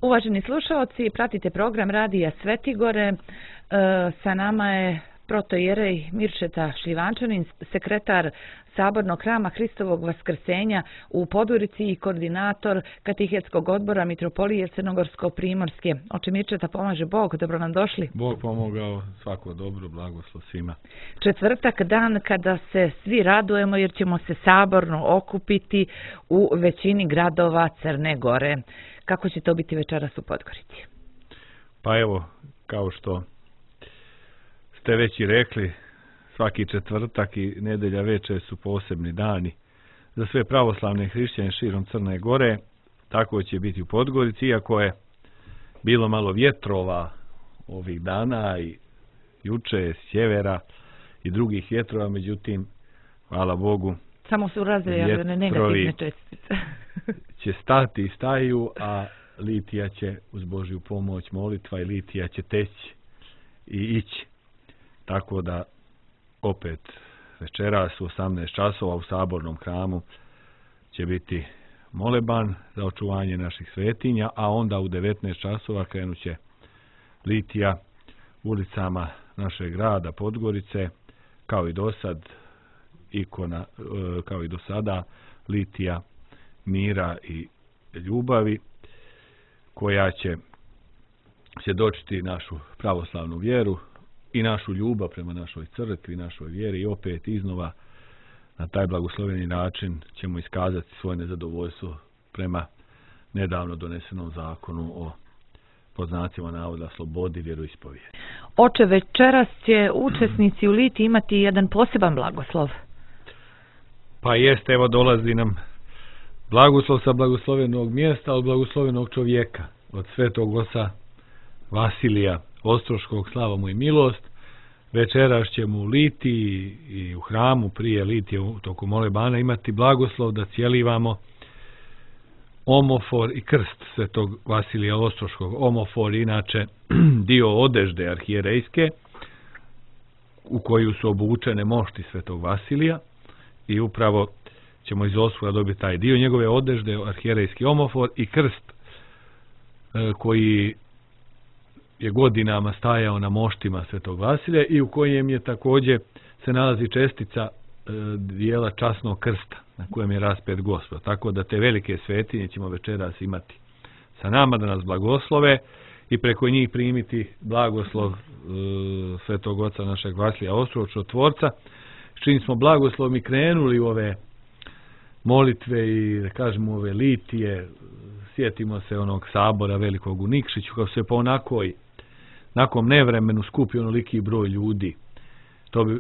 Uvaženi slušaoci, pratite program Radija Svetigore. Sa nama je protoijerej Mirčeta Šljivančanin, sekretar Sabornog hrama Hristovog Vaskrsenja u Podgorici i koordinator Katehetskog odbora Mitropolije Crnogorsko-Primorske. Oče Mirčeta, pomaže Bog, dobro nam došli. Bog pomogao, svako dobro, blagoslov svima. Četvrtak, dan kada se svi radujemo jer ćemo se saborno okupiti u većini gradova Crne Gore. Kako će to biti večeras u Podgorici? Pa evo, kao što ste već i rekli, svaki četvrtak i nedelja večer su posebni dani za sve pravoslavne hrišćane širom Crne Gore. Tako će biti u Podgorici, iako je bilo malo vjetrova ovih dana i juče s sjevera i drugih vjetrova, međutim, hvala Bogu, samo su razvijene negativne čestice. će stati i staju, a litija će uz Božju pomoć, molitva i litija će teći i ići. Tako da opet večeras u 18 časova u Sabornom hramu će biti moleban za očuvanje naših svetinja, a onda u 19 časova krenut će litija ulicama našeg grada Podgorice, kao i do sad, kao i do sada, litija mira i ljubavi, koja će svjedočiti našu pravoslavnu vjeru i našu ljubav prema našoj crkvi, našoj vjeri, i opet iznova na taj blagosloveni način ćemo iskazati svoje nezadovoljstvo prema nedavno donesenom zakonu o, pod znacima navoda, slobodi vjeroispovijedi. Oče, večeras će učesnici u litiji imati jedan poseban blagoslov. Pa jeste, evo dolazi nam blagoslov sa blagoslovenog mjesta, od blagoslovenog čovjeka, od svetog oca Vasilija Ostroškog, slava mu i milost. Večeras ćemo u litiji i u hramu prije litije u toku molebana imati blagoslov da cijelivamo omofor i krst svetog Vasilija Ostroškog. Omofor inače dio odežde arhijerejske u koju su obučene mošti svetog Vasilija, i upravo ćemo iz osvoja dobiti taj dio njegove odežde, arhijerejski omofor, i krst koji je godinama stajao na moštima svetog Vasilija i u kojem je također se nalazi čestica dijela časnog krsta na kojem je raspet Gospod. Tako da te velike svetinje ćemo večeras imati sa nama da nas blagoslove i preko njih primiti blagoslov svetog oca našeg Vasilija Ostročotvorca, s čim smo blagoslovom i krenuli u ove molitve i, da kažemo, ove litije. Sjetimo se onog sabora velikog u Nikšiću, kako se po nakon nevremenu skupi onoliki broj ljudi.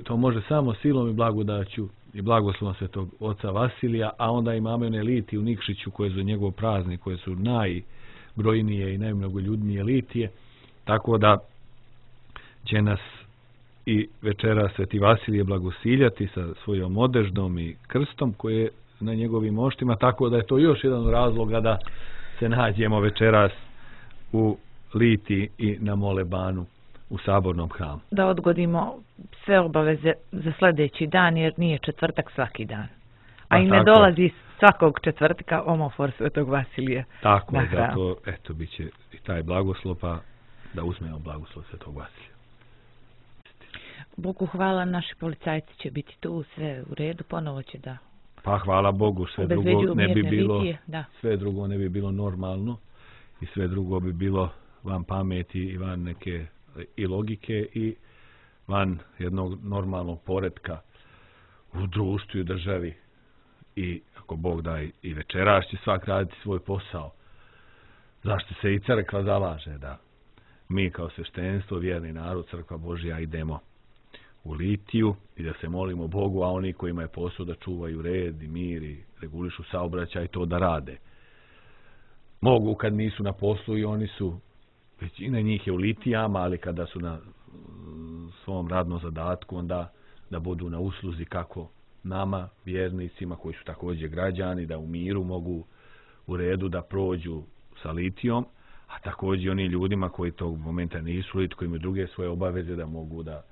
To može samo silom i blagodaću i blagoslovom svetog oca Vasilija, a onda imamo one litije u Nikšiću koje su njegov praznik, koje su najbrojnije i najmnogoljudnije litije, tako da će nas i večera sveti Vasilije blagosiljati sa svojom odeždom i krstom koje je na njegovim moštima, tako da je to još jedan razloga da se nađemo večeras u litiji i na molebanu u Sabornom hramu. Da odgodimo sve obaveze za sljedeći dan, jer nije četvrtak svaki dan. A i ne dolazi svakog četvrtka omofor svetog Vasilija. Tako je, zato eto bit će i taj blagoslov, pa da uzmemo blagoslov svetog Vasilija. Bogu hvala, naši policajci će biti tu, sve u redu, ponovo će da... Pa hvala Bogu, sve drugo ne bi bilo normalno i sve drugo bi bilo van pameti i van neke i logike i van jednog normalnog poretka u društvu i državi. I ako Bog da i večeras će svak raditi svoj posao. Zašto se i crkva zalaže da mi kao sveštenstvo, vjerni narod, crkva Božja, idemo u litiju i da se molimo Bogu, a oni kojima je posao da čuvaju red i mir i regulišu saobraćaj, to da rade. Mogu kad nisu na poslu i oni su, većina njih je u litijama, ali kada su na svom radnom zadatku, onda da budu na usluzi kako nama, vjernicima koji su također građani, da u miru mogu u redu da prođu sa litijom, a također oni ljudima koji tog momenta nisu lit, koji imaju druge svoje obaveze, da mogu da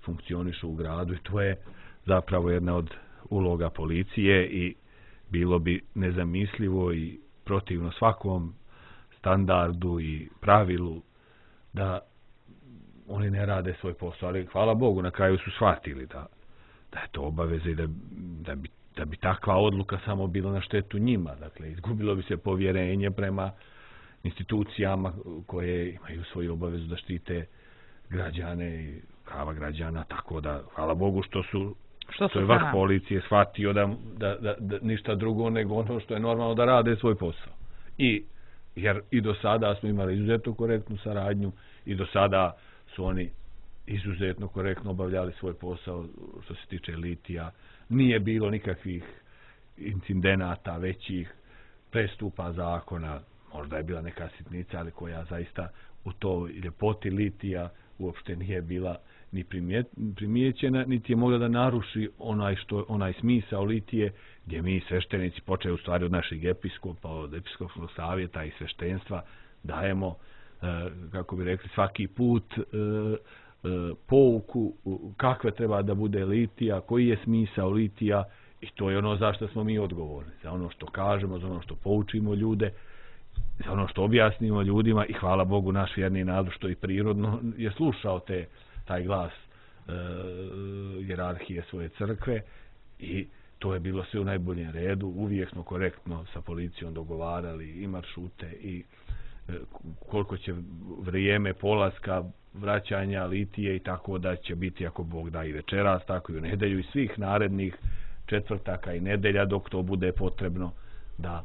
funkcionišu u gradu, i to je zapravo jedna od uloga policije i bilo bi nezamislivo i protivno svakom standardu i pravilu da oni ne rade svoj posao, ali hvala Bogu na kraju su shvatili da je to obaveza i da bi takva odluka samo bila na štetu njima. Dakle, izgubilo bi se povjerenje prema institucijama koje imaju svoju obavezu da štite građane i prava građana, tako da hvala Bogu što je vrh policije shvatio da ništa drugo nego ono što je normalno da rade svoj posao. Jer i do sada smo imali izuzetno korektnu saradnju i do sada su oni izuzetno korektno obavljali svoj posao što se tiče litija. Nije bilo nikakvih incidenata, većih prestupa zakona, možda je bila neka sitnica, ali koja zaista u toj ljepoti litija uopšte nije bila ni primijećena, niti je mogla da naruši onaj smisao litije, gdje mi sveštenici, počeo u stvari od naših episkopa, od episkopskog savjeta i sveštenstva, dajemo, kako bi rekli, svaki put pouku kakve treba da bude litija, koji je smisao litija, i to je ono za što smo mi odgovorni, za ono što kažemo, za ono što poučimo ljude, za ono što objasnimo ljudima, i hvala Bogu naš vjerni narod što i prirodno je slušao taj glas hijerarhije svoje crkve, i to je bilo sve u najboljem redu. Uvijek smo korektno sa policijom dogovarali i maršrute i koliko će vrijeme polaska, vraćanja litije, i tako da će biti, ako Bog da, i večeras, tako i u nedelju i svih narednih četvrtaka i nedelja dok to bude potrebno, da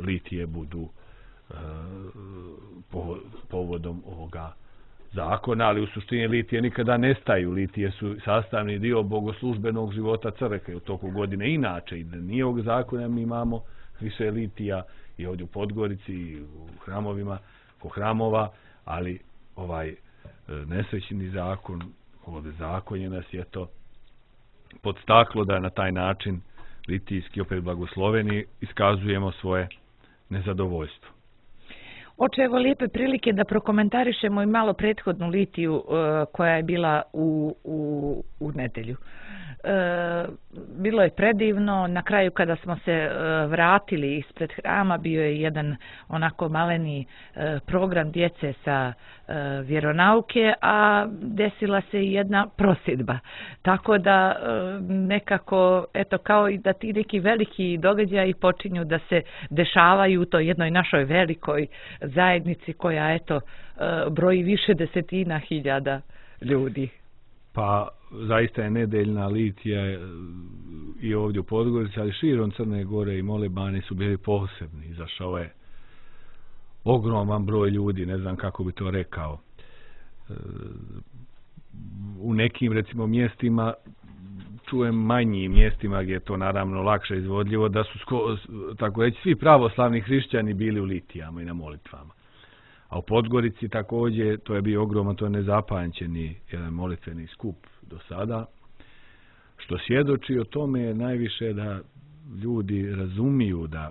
litije budu povodom ovoga zakona, ali u suštini litije nikada nestaju. Litije su sastavni dio bogoslužbenog života crkve u toku godine. Inače, i da nije ovog zakona, mi imamo više litija i ovdje u Podgorici i u hramovima, ko hramova, ali ovaj nesrećni zakon, ovdje zakonje nas je to podstaklo da na taj način litijski, opet blagosloveni, iskazujemo svoje nezadovoljstvo. Oče, evo lijepe prilike da prokomentarišemo i malo prethodnu litiju koja je bila u nedelju. Bilo je predivno, na kraju kada smo se vratili ispred hrama bio je jedan onako maleni program djece sa vjeronauke, a desila se i jedna prosjedba. Tako da nekako, eto, kao i da ti neki veliki događaji počinju da se dešavaju u toj jednoj našoj velikoj zajednici koja, eto, broji više desetina hiljada ljudi. Pa zaista je nedeljna litija i ovdje u Podgorici, ali širom Crne Gore i Molebani su bili posebni. Izašao je ogroman broj ljudi, ne znam kako bi to rekao. U nekim, recimo, mjestima, čujem manjim mjestima gdje je to naravno lakše izvodljivo, da su, tako reći, svi pravoslavni hrišćani bili u litijama i na molitvama. A u Podgorici također, to je bio ogroman, to je nezapamćeni jedan molitveni skup do sada, što svjedoči o tome najviše da ljudi razumiju da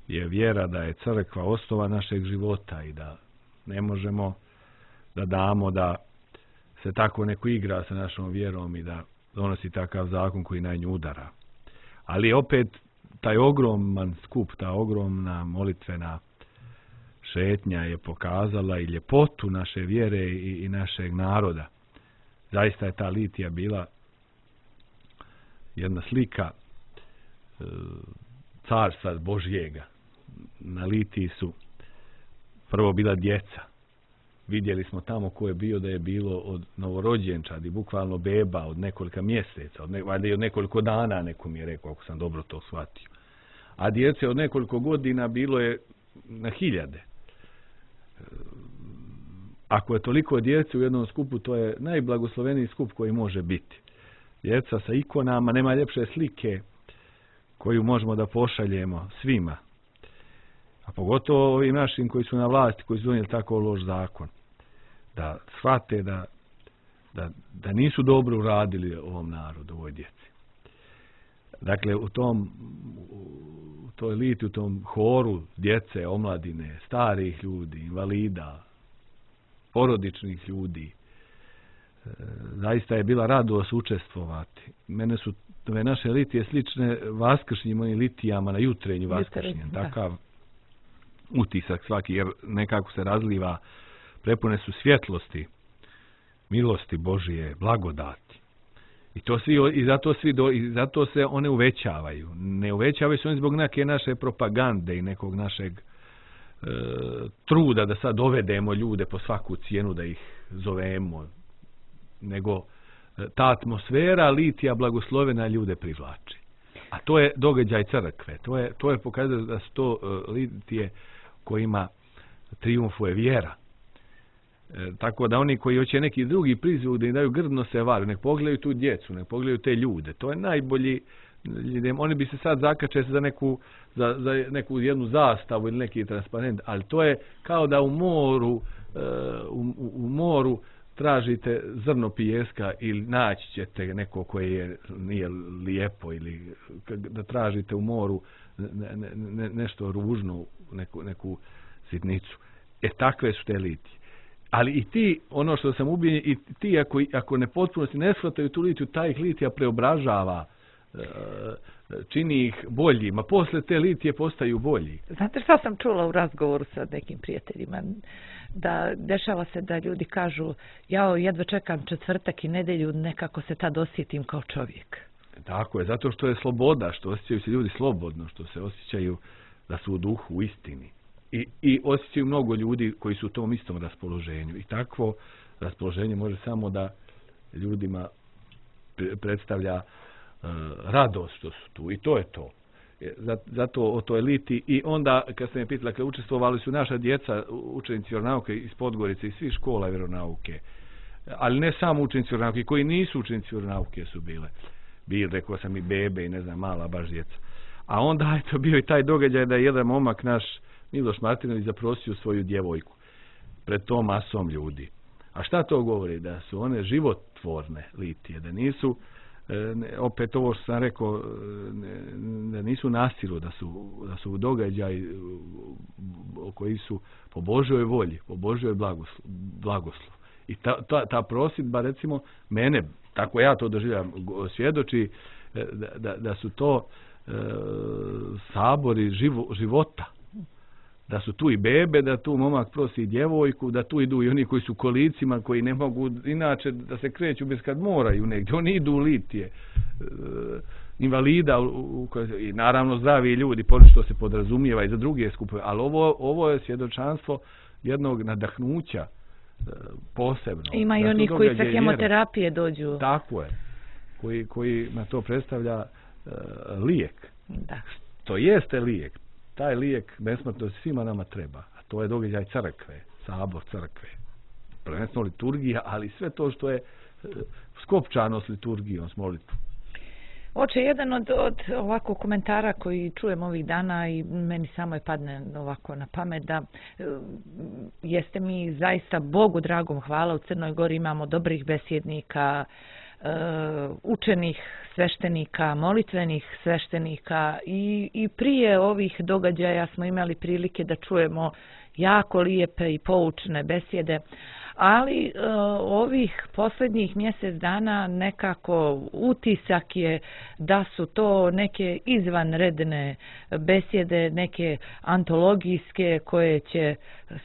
je vjera, da je crkva osnova našeg života i da ne možemo da damo da se tako neko igra sa našom vjerom i da donosi takav zakon koji na nju udara. Ali opet taj ogroman skup, ta ogromna molitvena šetnja je pokazala i ljepotu naše vjere i našeg naroda. Zaista je ta litija bila jedna slika carstva Božjega. Na litiji su prvo bila djeca. Vidjeli smo tamo ko je bio, da je bilo od novorođenčadi, bukvalno beba od nekoliko mjeseca, valjda i od nekoliko dana, neko mi je rekao, ako sam dobro to shvatio. A djece od nekoliko godina bilo je na hiljade. Ako je toliko djece u jednom skupu, to je najblagosloveniji skup koji može biti. Djeca sa ikonama, nema ljepše slike koju možemo da pošaljemo svima. A pogotovo ovim našim koji su na vlasti, koji su donijeli tako loš zakon. Da shvate da nisu dobro uradili ovom narodu, ovoj djeci. Dakle, u toj litiji, u tom horu djece, omladine, starih ljudi, invalida, porodičnih ljudi, zaista je bila radost učestvovati. Mene su ove naše litije slične vaskršnjim onim litijama na jutrenju vaskršnjem. utisak svaki, jer nekako se razliva, prepune su svjetlosti, milosti Božije, blagodati. I zato se one uvećavaju. Ne uvećavaju se oni zbog neke naše propagande i nekog našeg truda da sad dovedemo ljude po svaku cijenu da ih zovemo, nego ta atmosfera litija blagoslovena ljude privlači. A to je događaj crkve. To je pokazano da su to litije kojima trijumfuje vjera. Tako da oni koji hoće neki drugi prizvuk da im daju grdno se varu, nek pogledaju tu djecu, nek pogledaju te ljude. To je najbolji. Oni bi se sad zakačili za neku jednu zastavu ili neki transparent, ali to je kao da u moru tražite zrno pijeska ili naći ćete neko koje nije lijepo, ili da tražite u moru nešto ružno, neku sitnicu. Takve su te litije. Ali i ti, ono što sam ubijen, i ti ako ne potpunosti ne shvataju tu litiju, taj ih litija preobražava, čini ih boljima. Posle te litije postaju bolji. Znate što sam čula u razgovoru sa nekim prijateljima? Da dešava se da ljudi kažu, ja jedva čekam četvrtak i nedjelju, nekako se tad osjetim kao čovjek. Tako je, zato što je sloboda, što osjećaju se ljudi slobodno, što se osjećaju da su u duhu, u istini. I osjećaju mnogo ljudi koji su u tom istom raspoloženju. I takvo raspoloženje može samo da ljudima predstavlja radost što su tu. I to je to. Zato o toj liti. I onda, kad ste me pitali, dakle, učestvovali su naša djeca, učenici vjeronauke iz Podgorice i svih škola vjeronauke. Ali ne samo učenici vjeronauke, koji nisu učenici vjeronauke su bili, rekao sam i bebe i ne znam, mala baš djeca. A onda je to bio i taj događaj da je jedan momak naš, Miloš Martinović, zaprosio svoju djevojku pred tom masom ljudi. A šta to govori? Da su one životvorne litije, da nisu, opet ovo što sam rekao, da nisu nasilu, da su događaj koji su po Božjoj volji, po Božjoj blagoslov. I ta prosudba, recimo, mene, tako ja to doživljam, svjedoči da su to sabori života. Da su tu i bebe, da tu momak prosi djevojku, da tu idu i oni koji su kolicima, koji ne mogu inače da se kreću bez kad moraju negdje. Oni idu u litije. Invalida i naravno zdravi ljudi, što se podrazumijeva i za druge skupove. Ali ovo je svjedočanstvo jednog nadahnuća posebno. Ima i oni koji sa hemoterapije dođu. Tako je. Koji na to predstavlja lijek. Da. To jeste lijek. Taj lijek besmrtno svima nama treba. A to je događaj crkve, sabor crkve. Prvenstveno liturgija, ali sve to što je skopčano s liturgijom, s molitvom. Oče, jedan od ovako komentara koji čujem ovih dana i meni samo je padne ovako na pamet da jeste mi zaista Bogu dragom hvala, u Crnoj Gori imamo dobrih besjednika, učenih sveštenika, molitvenih sveštenika i prije ovih događaja smo imali prilike da čujemo jako lijepe i poučne besjede, ali ovih posljednjih mjesec dana nekako utisak je da su to neke izvanredne besjede, neke antologijske koje će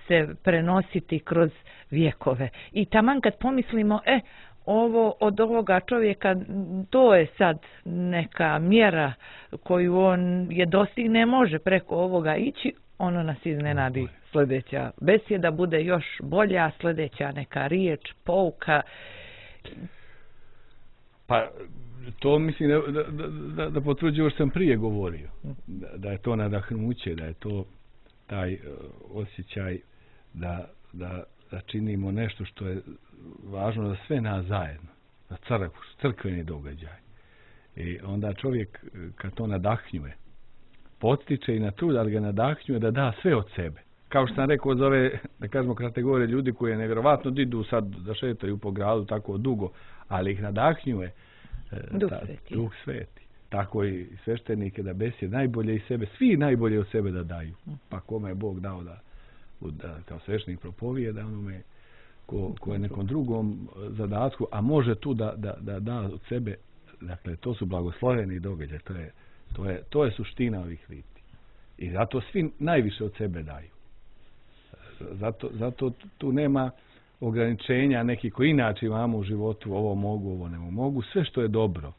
se prenositi kroz vjekove. I taman kad pomislimo, od ovoga čovjeka, to je sad neka mjera koju on je dostigne, može preko ovoga ići, ono nas iznenadi. Sljedeća besjeda bude još bolja, sljedeća neka riječ, pouka. Pa to mislim da potvrđuje što sam prije govorio. Da je to nadahnuće, da je to taj osjećaj da činimo nešto što je važno za sve nas zajedno, za crkveni događaj. I onda čovjek kad to nadahnjuje, potiče i na trud, ali ga nadahnjuje da da sve od sebe. Kao što sam rekao za ove, da kažemo, kategorije ljudi koje nevjerovatno idu sad da šetaju po gradu tako dugo, ali ih nadahnjuje Duh Sveti. Tako i sveštenike da besjed najbolje iz sebe, svi najbolje od sebe da daju. Pa kome je Bog dao da kao sveštenik propovijeda, onome ko je nekom drugom zadatku, a može tu da od sebe, dakle, to su blagosloveni događaji, to je suština ovih liti. I zato svi najviše od sebe daju. Zato tu nema ograničenja neki koji inače imamo u životu, ovo mogu, ovo ne mogu. Sve što je dobro,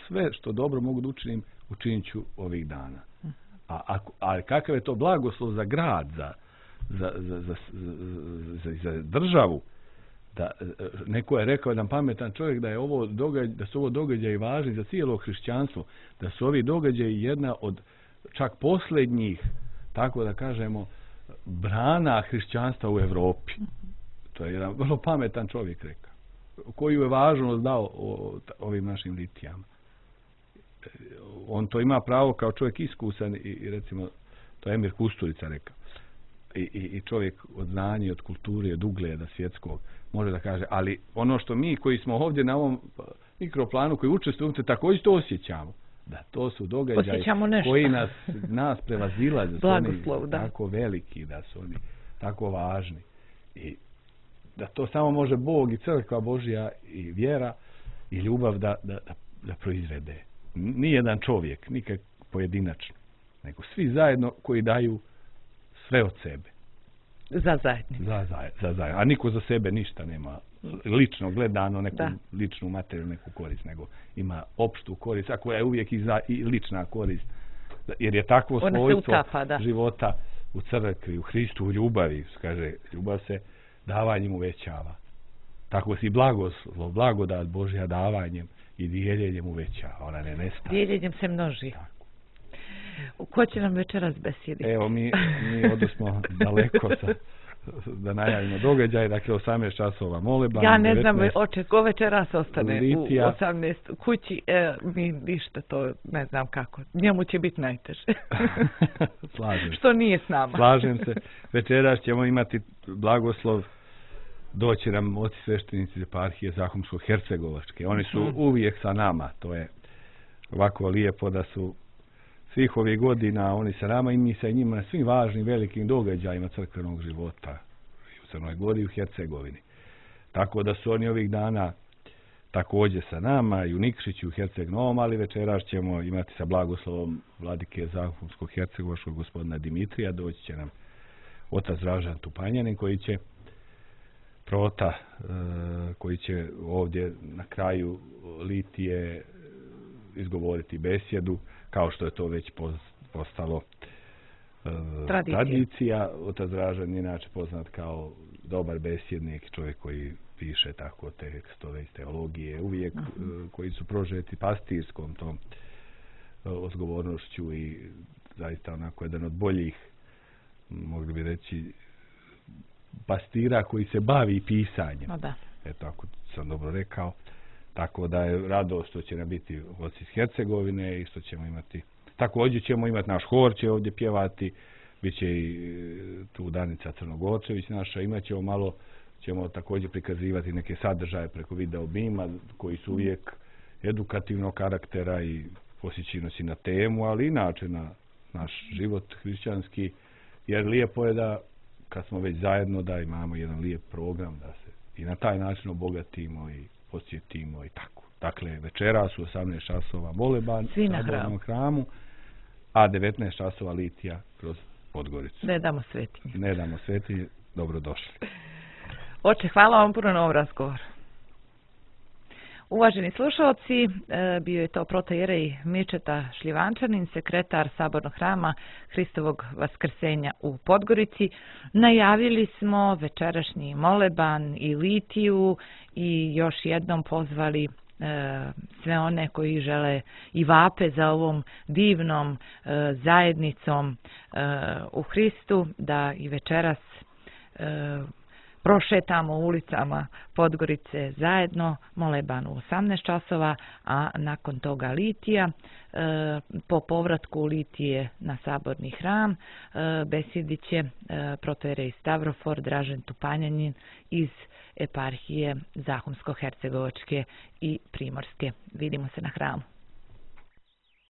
sve što dobro mogu da učinim, učinit ću ovih dana. A kakav je to blagoslov za grad, za državu, da neko je rekao, jedan pametan čovjek, da su ovo događaji važni za cijelo hrišćanstvo, da su ovi događaji jedna od čak posljednjih, tako da kažemo, brana hrišćanstva u Evropi. To je jedan vrlo pametan čovjek rekao, koju je važnost dao ovim našim litijama. On to ima pravo kao čovjek iskusan i recimo, to je Emir Kusturica rekao, i čovjek od znanja i od kulture, od ugleda svjetskog, može da kaže, ali ono što mi koji smo ovdje na ovom mikroplanu koji učestvujemo, također to osjećamo. Da, to su događaji koji nas prevazilaze, da su oni tako veliki, da su oni tako važni. I da to samo može Bog i crkva Božja i vjera i ljubav da proizvede. Nijedan čovjek, nikak pojedinačno, nego svi zajedno koji daju sve od sebe. Za zajednicu. Za zajednicu. A niko za sebe ništa nema lično gledano, neku ličnu materijalnu neku korist, nego ima opštu korist, a koja je uvijek i lična korist. Jer je takvo svojstvo života u crkvi, u Hristu, u ljubavi. Kaže, ljubav se davanjem uvećava. Tako si blagodat Božja davanjem i dijeljenjem uvećava. Ona ne nestaje. Dijeljenjem se množi. Tako. Ko će nam večeras besjediti? Evo, mi odosmo daleko da najavimo događaj, dakle 18 časova moleban. Ja ne znam, ko večeras ostane u 18 kući, mi ništa to ne znam kako. Njemu će biti najteže. Slažem. Što nije s nama. Slažem se. Večeras ćemo imati blagoslov, doći nam oci sveštenici eparhije Zahumsko-Hercegovačke. Oni su uvijek sa nama. To je ovako lijepo da su svih ovih godina oni sa nama i mi sa njima na svim važnim velikim događajima crkvenog života u Crnoj Gori i u Hercegovini. Tako da su oni ovih dana također sa nama i u Nikšiću u Herceg Novom, ali večeras ćemo imati sa blagoslovom vladike Zahumskog hercegovačkog gospodina Dimitrija, doći će nam otac Dražan Tupanjanin koji će prota, koji će ovdje na kraju litije izgovoriti besjedu, kao što je to već postalo tradicija. Otac Dražan je inače poznat kao dobar besjednik, čovjek koji piše tako tekstove iz teologije, uvijek koji su prožeti pastirskom tom odgovornošću i zaista onako jedan od boljih, mogli bi reći, pastira koji se bavi pisanjem. Eto, ako sam dobro rekao. Tako da je radost što će nam biti oci iz Hercegovine i što ćemo imati. Također ćemo imati naš hor, će ovdje pjevati, bit će i tu Danica Crnogorčević naša, imat ćemo malo, ćemo također prikazivati neke sadržaje preko video bima koji su uvijek edukativnog karaktera i posjećino si na temu, ali inače na naš život hrišćanski, jer lijepo je da kad smo već zajedno da imamo jedan lijep program, da se i na taj način obogatimo i posjetimo i tako. Dakle, večeras u 18 časova moleban u Sabornom hramu, a 19 časova litija kroz Podgoricu. Ne damo svetinje. Ne damo svetinje, dobrodošli. Oče, hvala vam puno na ovom razgovoru. Uvaženi slušalci, bio je to protojerej Mirčeta Šljivančanin, sekretar Sabornog hrama Hristovog vaskrsenja u Podgorici. Najavili smo večerašnji moleban i litiju i još jednom pozvali sve one koji žele i vape za ovom divnom zajednicom u Hristu, da i večeras prošetamo ulicama Podgorice zajedno, moleban u 18 časova, a nakon toga litija. Po povratku litije na Saborni hram besjedit će protojerej Stavrofor Dražen Tupanjanin iz eparhije Zahumsko-Hercegovačke i Primorske. Vidimo se na hramu.